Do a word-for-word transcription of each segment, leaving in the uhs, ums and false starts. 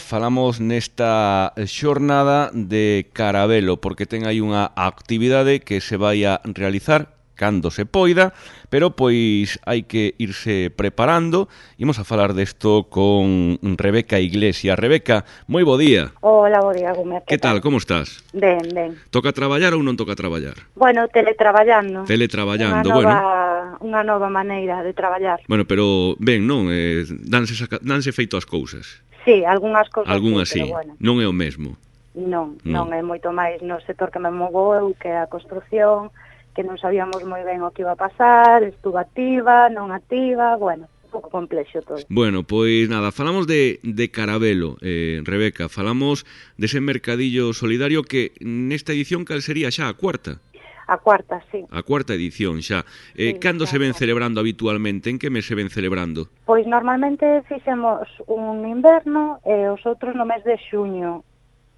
falamos nesta xornada de Carabelo, porque ten aí unha actividade que se vai a realizar cando se poida, pero pois hai que irse preparando. Imos a falar desto con Rebeca Iglesias. Rebeca, moi bo día. Hola, bo día, Gómez. Que tal, como estás? Ben, ben. Toca traballar ou non toca traballar? Bueno, teletraballando. Teletraballando, unha nova, bueno. Unha nova maneira de traballar. Bueno, pero ben, non? Eh, danse, saca, danse feito as cousas. Sí, algunhas cousas Algunhas sí, sí, pero bueno. Non é o mesmo. Non, non, non é moito máis no sector que me movo eu, que é a construción, que non sabíamos moi ben o que iba a pasar, estuvo activa, non activa, bueno, un pouco complexo todo. Bueno, pois nada, falamos de, de Carabelo, eh, Rebeca, falamos dese mercadillo solidario que nesta edición cal sería xa a cuarta? A cuarta, sí. A cuarta edición xa. Eh, Sí, cando xa, se ven xa. celebrando habitualmente? En que mes se ven celebrando? Pois normalmente fixemos un inverno e os outros no mes de xuño.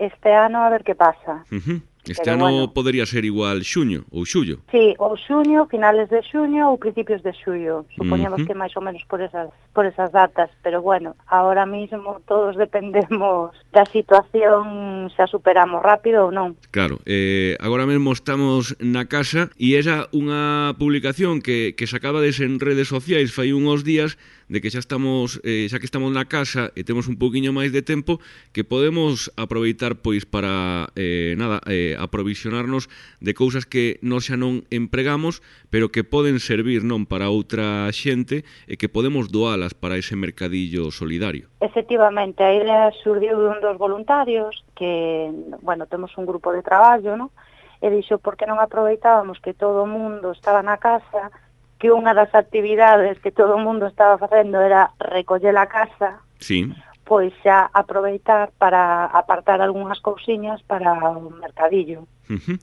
Este ano a ver que pasa. Uh -huh. Este Pero ano bueno. podería ser igual xuño ou xullo. Sí, ou xuño, finales de xuño ou principios de xullo. Supoñemos Uh-huh. que máis ou menos por esas por esas datas, pero bueno, ahora mismo todos dependemos da situación, se a superamos rápido ou non. Claro, eh, agora mesmo estamos na casa e esa unha publicación que, que sacabades en redes sociais fai uns días de que xa estamos, eh, xa que estamos na casa e temos un poquinho máis de tempo, que podemos aproveitar pois para eh, nada, eh, aprovisionarnos de cousas que nós xa non empregamos, pero que poden servir non para outra xente e que podemos doalas para ese mercadillo solidario. Efectivamente, a idea surdiu dun dos voluntarios que, bueno, temos un grupo de traballo, non? E dixo, por que non aproveitábamos que todo o mundo estaba na casa, que unha das actividades que todo o mundo estaba facendo era recoller a casa, Sí. pois xa aproveitar para apartar algunhas cousiñas para o mercadillo. Uh -huh.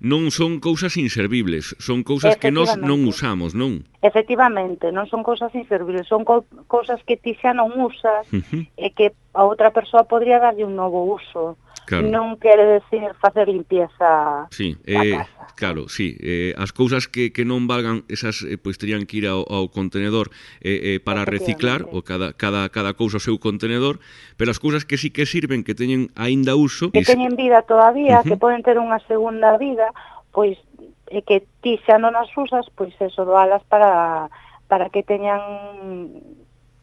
Non son cousas inservibles, son cousas que nós non usamos, non? Efectivamente, non son cousas inservibles, son co cousas que ti xa non usas uh -huh. e que a outra persoa podría darlle un novo uso. Claro. Non quere decir facer limpieza sí, da eh, casa. Claro, sí, eh, as cousas que, que non valgan, esas eh, pois terían que ir ao, ao contenedor eh, eh, para reciclar, o cada, cada, cada cousa o seu contenedor, pero as cousas que sí que sirven, que teñen aínda uso... Que teñen vida todavía, uh -huh. que poden ter unha segunda vida, pois e que ti xa non as usas, pois eso, doalas para, para que teñan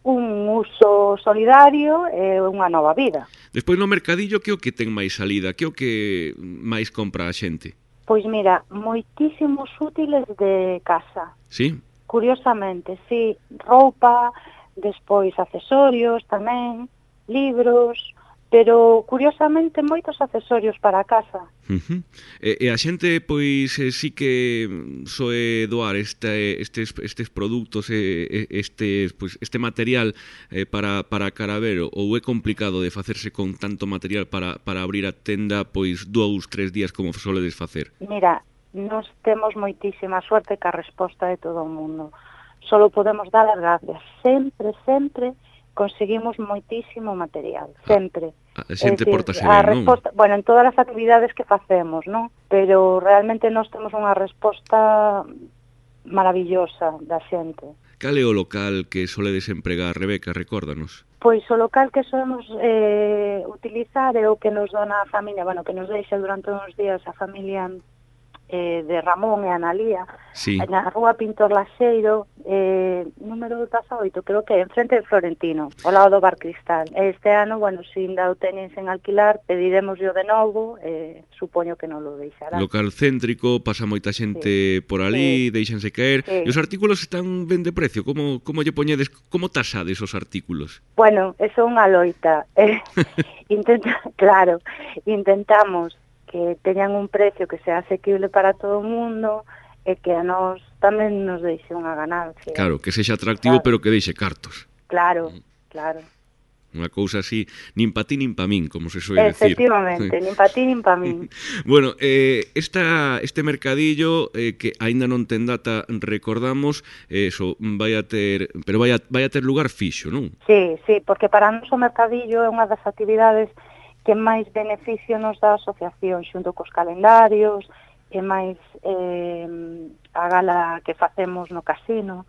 un uso solidario e unha nova vida. Despois no mercadillo, que o que ten máis salida? Que o que máis compra a xente? Pois mira, moitísimos útiles de casa. Sí? Curiosamente, sí, roupa, despois accesorios tamén, libros, pero curiosamente moitos accesorios para a casa. Uh -huh. E, e a xente pois eh, sí que soe doar este, estes, estes produtos, eh, estes, pois, este material eh, para, para Carabelo, ou é complicado de facerse con tanto material para, para abrir a tenda pois dous, tres días como soledes facer? Mira, nos temos moitísima suerte ca resposta de todo o mundo. Solo podemos dar as gracias. Sempre, sempre conseguimos moitísimo material, sempre. A, a xente portase ben, non? Bueno, en todas as actividades que facemos, non? Pero realmente nós temos unha resposta maravillosa da xente. Cal é o local que soledes empregar, Rebeca, recórdanos? Pois o local que solemos eh, utilizar é o que nos dona a familia, bueno, que nos deixa durante uns días a familia eh, de Ramón e Analía, sí. Na rúa Pintor Laxeiro, eh, número dezaoito, creo que é en frente de Florentino, ao lado do Bar Cristal. Este ano, bueno, se ainda o teñen sen alquilar, pediremoslo de novo, eh, supoño que non lo deixará. Local céntrico, pasa moita xente sí. por ali, sí. deixanse caer, sí. E os artículos están ben de precio, como, como lle poñedes, como tasades os artículos? Bueno, eso é unha loita, eh, intenta, claro, intentamos que teñan un precio que sea asequible para todo o mundo e que a nós tamén nos deixe unha ganancia. Claro, que sexa atractivo, claro. Pero que deixe cartos. Claro, claro. Unha cousa así, nin pa ti nin pa min, como se soe decir. Efectivamente, nin pa ti nin pa min. Bueno, eh, esta, este mercadillo eh, que aínda non ten data, recordamos, eh, eso, vai a ter, pero vai a, vai a ter lugar fixo, non? Sí, sí, porque para nós o mercadillo é unha das actividades que máis beneficio nos dá a asociación, xunto cos calendarios, e máis eh, a gala que facemos no casino.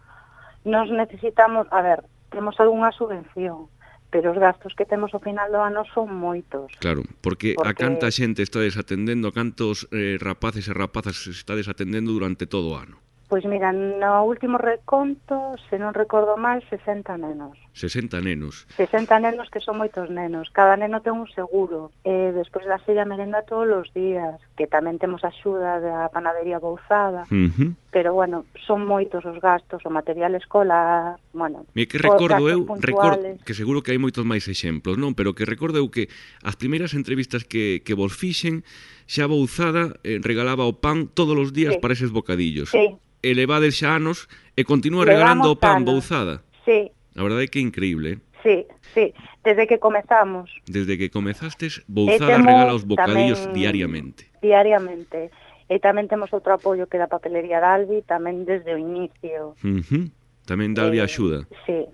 Nos necesitamos, a ver, temos algunha subvención, pero os gastos que temos ao final do ano son moitos. Claro, porque, porque... a canta xente está desatendendo, a cantos eh, rapaces e rapazas está desatendendo durante todo o ano? Pois mira, no último reconto, se non recordo mal, sesenta nenos. sesenta nenos. sesenta nenos que son moitos nenos. Cada neno ten un seguro. E despois da sella merenda todos os días, que tamén temos axuda da panadería Bouzada. Uh-huh. Pero, bueno, son moitos os gastos, o material escolar, bueno... Me que recordo eu, recordo, que seguro que hai moitos máis exemplos, non? Pero que recordo eu que as primeiras entrevistas que, que vos fixen, xa Bouzada eh, regalaba o pan todos os días sí. para eses bocadillos. Sí. Elevades xa anos e continúa regalando o pan Bouzada. Sí. A verdade é que é increíble, eh? Sí, sí, desde que comezamos. Desde que comezastes, Bouzada regala os bocadillos tamén, diariamente. Diariamente. E tamén temos outro apoio que é da papelería Dalvi, tamén desde o inicio. Uh-huh. Tamén Dalvi eh, axuda. Sí.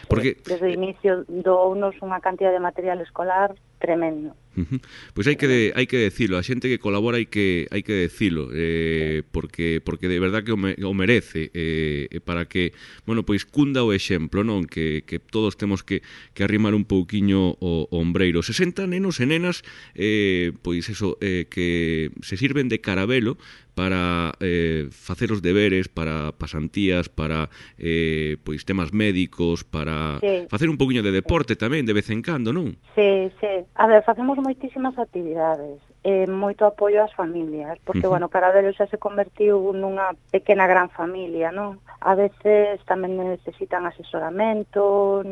Porque... Desde o inicio dounos unha cantidad de material escolar tremendo. Uh-huh. Pois hai que de, hai que decilo, a xente que colabora hai que hai que decilo, eh, porque porque de verdad que o, me, o merece, eh, para que, bueno, pois cunda o exemplo, non? Que, que todos temos que, que arrimar un pouquiño o, o ombreiro. sesenta nenos e nenas, eh, pois eso, eh, que se sirven de carabelo para eh, facer os deberes, para pasantías, para eh, pois temas médicos, para sí. facer un pouquiño de deporte tamén de vez en cando, non? Sí, sí. A ver, facemos moitísimas actividades, eh, moito apoio ás familias, porque, uh-huh. bueno, Carabelo xa se convertiu nunha pequena gran familia, non? A veces tamén necesitan asesoramento,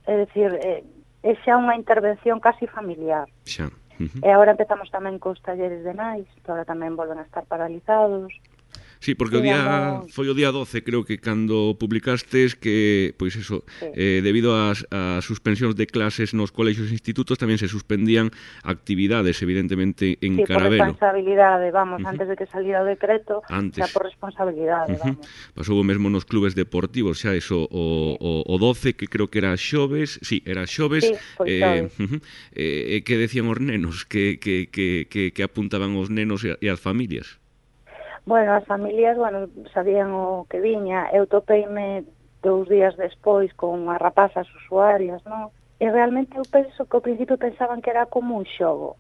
é dicir, é, é xa unha intervención casi familiar. Xa. Uh-huh. E agora empezamos tamén cos talleres de nais, que agora tamén volven a estar paralizados. Sí, porque o día foi o día doce, creo que cando publicastes que, pois eso, sí. eh, debido ás, ás suspensións de clases nos colexios e institutos tamén se suspendían actividades, evidentemente, en sí, Carabelo. Sí, por responsabilidade, vamos, uh-huh. antes de que saliera o decreto, antes. xa por responsabilidade, uh-huh. vamos. Pasou o mesmo nos clubes deportivos, xa eso, o, sí. o, o doce, que creo que era xoves, sí, era xoves, sí, pois eh, uh-huh, eh, que decían os nenos, que, que, que, que, que apuntaban os nenos e, e as familias. Bueno, as familias, bueno, sabían o que viña. Eu topeime dous días despois con as rapazas usuarias, non? E realmente eu penso que ao principio pensaban que era como un xogo.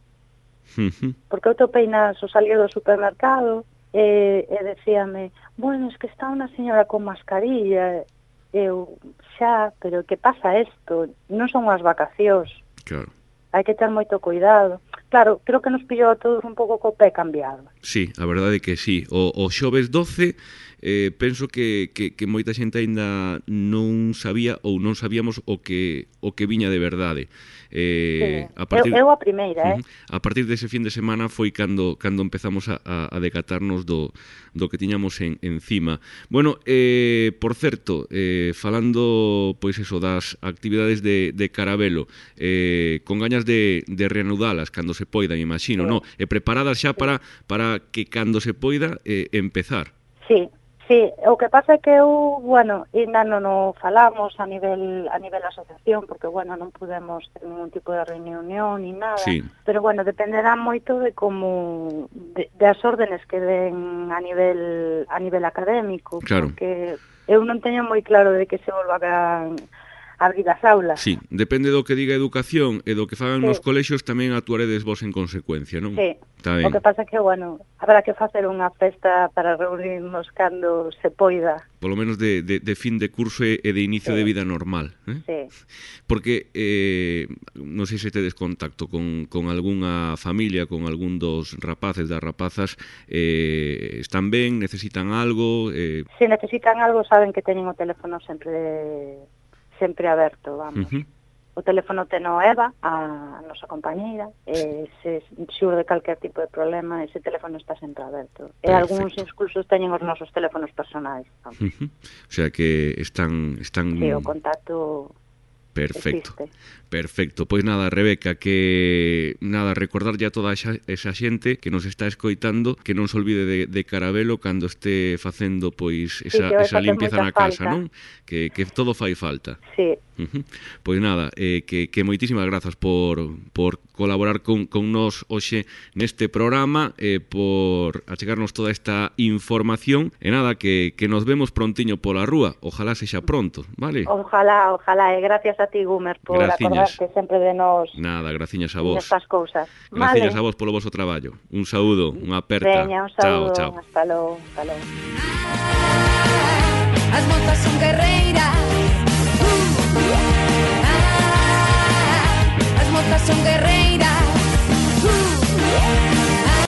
Uh-huh. Porque eu topei nas o salir do supermercado e, e decíame, bueno, es que está unha señora con mascarilla. Eu, xa, pero que pasa isto? Non son as vacacións. Claro. Hai que ter moito cuidado. Claro, creo que nos pillou a todos un pouco co pé cambiado. Sí, a verdade é que sí. O, o xoves doce, eh, penso que, que, que moita xente aínda non sabía ou non sabíamos o que o que viña de verdade. Eh, sí. a partir, eu, eu a primeira, uh-huh, eh? A partir dese fin de semana foi cando cando empezamos a, a, a decatarnos do, do que tiñamos en, encima. Bueno, eh, por certo, eh, falando, pois eso, das actividades de, de Carabelo, eh, con gañas de, de reanudalas cando se poida, me imagino, sí. no? E preparadas xa sí. para, para que cando se poida eh, empezar. Sí. Sí, o que pasa é que eu, bueno, ainda non o falamos a nivel a nivel asociación, porque, bueno, non podemos ter ningún tipo de reunión ni nada, sí. pero, bueno, dependerá moito de como, de, de as órdenes que den a nivel a nivel académico, claro. Porque eu non teño moi claro de que se volva a abrir as aulas. Sí, depende do que diga educación e do que fagan sí. nos colexios, tamén actuaredes vos en consecuencia, non? Sí, o que pasa é que, bueno, habrá que facer unha festa para reunirnos cando se poida. Polo menos de, de, de fin de curso e de inicio sí. de vida normal. Eh? Sí. Porque, eh, non sei se tedes contacto con, con algunha familia, con algún dos rapaces, das rapazas, eh, están ben, necesitan algo? Eh... Se necesitan algo, saben que teñen o teléfono sempre de... sempre aberto, vamos. Uh-huh. O teléfono teno Eva, a nosa compañeira, e se xurde calquer tipo de problema, ese teléfono está sempre aberto. Perfecto. E algúns incluso teñen os nosos teléfonos personais. Uh-huh. O sea que están... están... Sí, o contacto... Perfecto, existe. Perfecto. Pois nada, Rebeca, que nada, recordarlle a toda esa, esa xente que nos está escoitando que non se olvide de, de Carabelo cando este facendo pois esa, sí, esa limpieza na casa, falta. Non? Que, que todo fai falta. Sí. Uh-huh. Pois nada, eh, que, que moitísimas grazas por, por colaborar con, con nos hoxe neste programa, eh, por achegarnos toda esta información, e nada, que, que nos vemos prontiño pola rúa, ojalá sexa pronto, vale? Ojalá, ojalá, e gracias a a ti, Gumer, por Graciñas. acordarte sempre de nós. Nada, graciñas a vos. Nestas cousas. Graciñas Vale. a vos polo vosso traballo. Un saúdo, unha aperta. Veña, un saúdo. Chao, chao. Hasta logo, hasta logo.